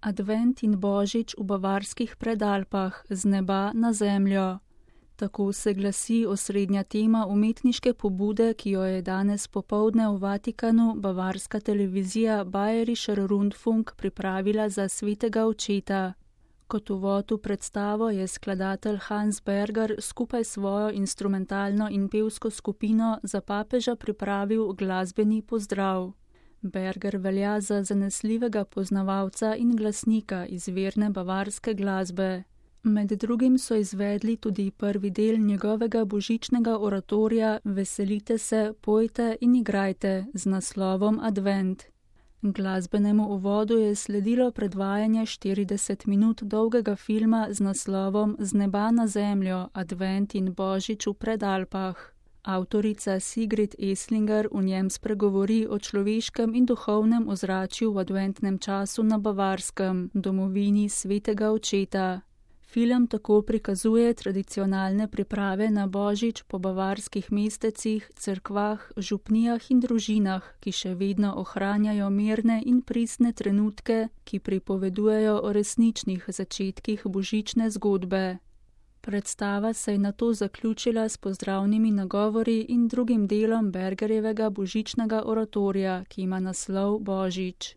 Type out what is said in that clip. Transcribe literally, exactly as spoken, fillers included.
Advent in Božič v bavarskih Predalpah, z neba na zemljo. Tako se glasi osrednja tema umetniške pobude, ki jo je danes popoldne v Vatikanu bavarska televizija Bayerischer Rundfunk pripravila za svetega očeta. Kot uvod v predstavo je skladatelj Hans Berger skupaj s svojo instrumentalno in pevsko skupino za papeža pripravil glasbeni pozdrav. Berger velja za zanesljivega poznavalca in glasnika izvirne bavarske glasbe. Med drugim so izvedli tudi prvi del njegovega božičnega oratorija Veselite se, pojte in igrajte z naslovom Advent. Glasbenemu uvodu je sledilo predvajanje štirideset minut dolgega filma z naslovom Z neba na zemljo, Advent in Božič v Predalpah. Avtorica Sigrid Eslinger v njem spregovori o človeškem in duhovnem ozračju v adventnem času na Bavarskem, domovini svetega očeta. Film tako prikazuje tradicionalne priprave na Božič po bavarskih mestecih, cerkvah, župnijah in družinah, ki še vedno ohranjajo mirne in pristne trenutke, ki pripovedujejo o resničnih začetkih božične zgodbe. Predstava se je nato zaključila s pozdravnimi nagovori in drugim delom Bergerjevega božičnega oratorija, ki ima naslov Božič.